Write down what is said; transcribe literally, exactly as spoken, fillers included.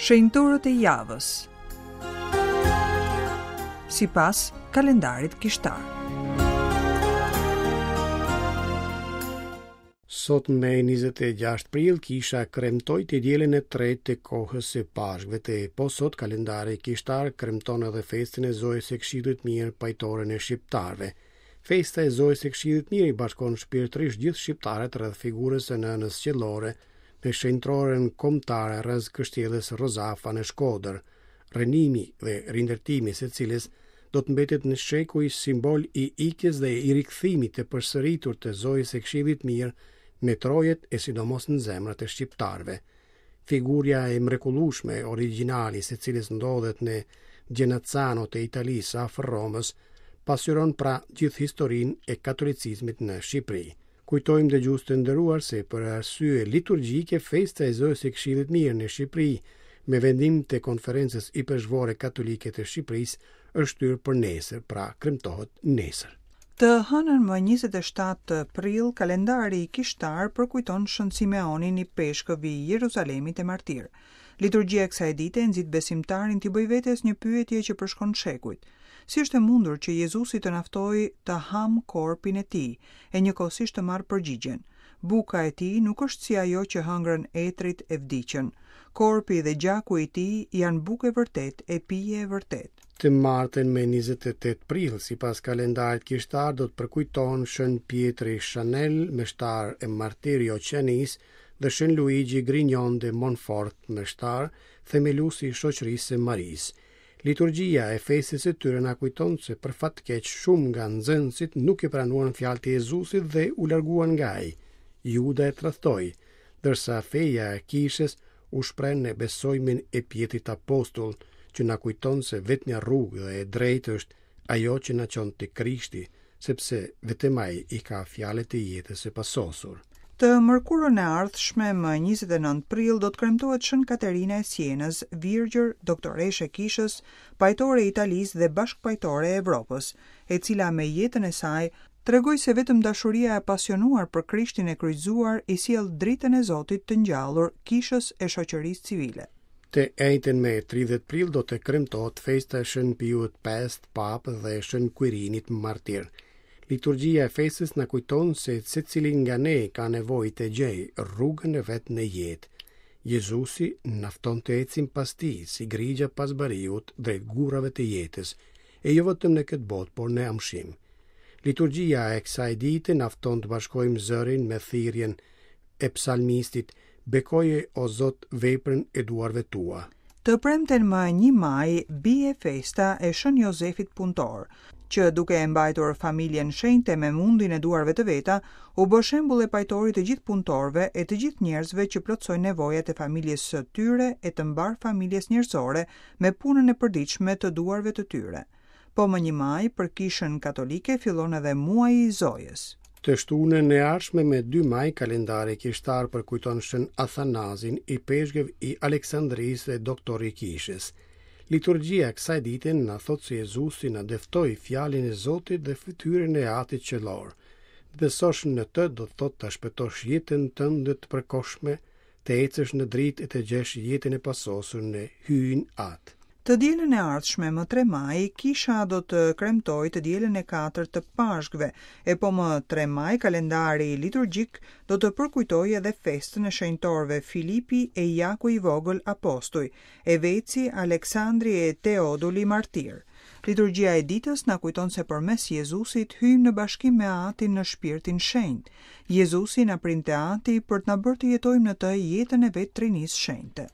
Shenjtorët e javës sipas kalendarit kishtar. Sot me njëzet e gjashtë prill kisha kremtoi të dielën e tretë të kohës së Pashkëve të po sot kalendari kishtar kremton edhe festën e Zojës së Këshillit Mirë, pajtoren e shqiptarëve. Festa e Zojës së Këshillit Mirë i bashkon shpirtërisht gjithë shqiptarët rreth figurës së nënës qiellore në shenjtroren kombëtare rreth kështjellës Rozafa në Shkodër, rrënimi dhe rindërtimi së cilës do të mbetet në shekuj simbol i ikjes dhe i rikthimit të përsëritur të Zojës së Këshillit Mirë në trojet e sidomos në zemrat e shqiptarëve. Figurja e mrekullueshme origjinali së cilës ndodhet në Genazzano të Italisë afër Romës, pasqyron pra gjithë historinë e katolicizmit në Shqipëri. Kujtojmë, dëgjues të nderuar, se për arsye liturgjike festa e Zojës së Këshillit Mirë në Shqipëri me vendim të Konferencës Ipeshkvore Katolike të Shqipërisë është shtyrë për nesër, pra kremtohet nesër. Të hënën më njëzet e shtatë prill, kalendari kishtar përkujton Shën Simeonin, ipeshkëv i Jeruzalemit e martir. Liturgjia e kësaj dite nxit besimtarin t'i bëjë vetes një pyetje që përshkon shekujt. Si është e mundur që Jezusi të na ftojë të ham korpin e tij, e njëkohësisht të marrë përgjigjen? Buka e tij nuk është si ajo që hëngrën etrit e vdiqën. Korpi dhe gjaku i tij janë bukë e vërtetë e pije e vërtetë. Të martën me njëzet e tetë prill, sipas kalendarit kishtar, do të përkujtohen Shën Pietri Chanel, meshtar e martir i Oqeanisë, dhe Shën Luigi Grignon de Montfort, meshtar, themeluesi i shoqërisë së Marisë. Liturgjia e festës së tyre na kujton se për fat keq shumë nga nxënësit nuk e pranuan fjalët e Jezusit dhe u larguan nga ai. Juda e tradhtoi, ndërsa feja e kishës u shpreh në besojimin e Pjetrit Apostull, që na kujton se vetmja rrugë dhe e drejtë është ajo që na çon te Krishti, sepse vetëm ai i ka fjalët e jetës së pasosur. Të mërkurën e ardhshme, më njëzet e nëntë prill, do të kremtohet Shën Katerina e Sienës, virgjër, doktoreshë e kishës, pajtore e Italisë dhe bashkëpajtore e Evropës, e cila me jetën e saj tregoi se vetëm dashuria e pasionuar për Krishtin e kryqëzuar i sjell dritën e Zotit të ngjallur kishës e shoqërisë civile. Të enjten me tridhjetë prill do të kremtohet festa e Shën Piut pestë Papë dhe Shën Quirinit martir. Liturgjia e festës na kujton se secili nga ne ka nevojë të gjejë rrugën e vet në jetë. Jezusi na fton të ecim pas tij, si grigja pas bariut, drejt gurrave të jetës, e jo vetëm në këtë botë, por në amshim. Liturgjia e kësaj dite na fton të bashkojmë zërin me thirrjen e psalmistit: "Bekoje, o Zot, veprën e duarve tua." Të premten më një maj bie festa e Shën Jozefit Punëtor, që duke e mbajtur familjen shenjte me mundin e duarve të veta, u bë shembull e pajtorit të gjithë punëtorëve e të gjithë njerëzve që plotësojnë nevojat e familjes së tyre e të mbar familjes njerëzore me punën e përditshme të duarve të tyre. Po më një maj, për kishën katolike fillon edhe muaji i Zojës. Të shtunën e ardhshme me dy maj, kalendari kishtar përkujton Shën Athanazin, ipeshkëv i Aleksandrisë dhe doktor i kishës. Liturgjia e kësaj dite na thotë se Jezusi na dëftoi fjalën e Zotit dhe fytyrën e Atit Qiellor. Të besosh në të do të thotë të shpëtosh jetën tënde të përkohshme, të ecësh në dritë e të gjesh jetën e pasosur në Hyjin Atë. Të dielën e ardhshme, më tre maj, kisha do të kremtojë të dielën e katërt të Pashkëve, e po më tre maj kalendari liturgjik do të përkujtojë edhe festën e shenjtorëve Filipi e Jaku i Vogël apostuj, Eveci, Aleksandri e Teoduli martir. Liturgjia e ditës na kujton se përmes Jezusit hyjmë në bashkim me Atin në Shpirtin Shenjt. Jezusi na prin te Ati për të na bërë të jetojmë në të jetën e vetë Trinisë Shenjte.